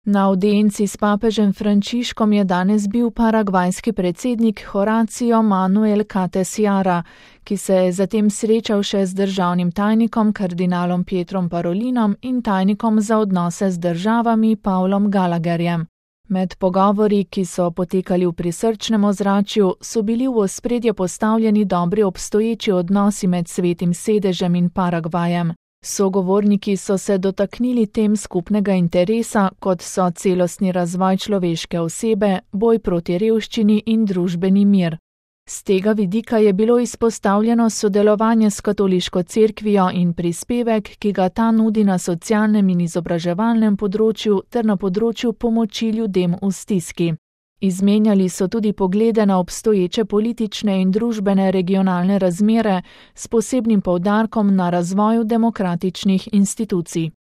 Na audienci s papežem Frančiškom je danes bil paragvajski predsednik Horacio Manuel Cates Jara, ki se je zatem srečal še z državnim tajnikom kardinalom Pietrom Parolinom in tajnikom za odnose z državami Pavlom Gallagherjem. Med pogovori, ki so potekali v prisrčnem ozračju, so bili v ospredje postavljeni dobri obstoječi odnosi med Svetim sedežem in Paragvajem. Sogovorniki so se dotaknili tem skupnega interesa, kot so celostni razvoj človeške osebe, boj proti revščini in družbeni mir. Z tega vidika je bilo izpostavljeno sodelovanje s katoliško cerkvijo in prispevek, ki ga ta nudi na socialnem in izobraževalnem področju ter na področju pomoči ljudem v stiski. Izmenjali so tudi poglede na obstoječe politične in družbene regionalne razmere s posebnim poudarkom na razvoju demokratičnih institucij.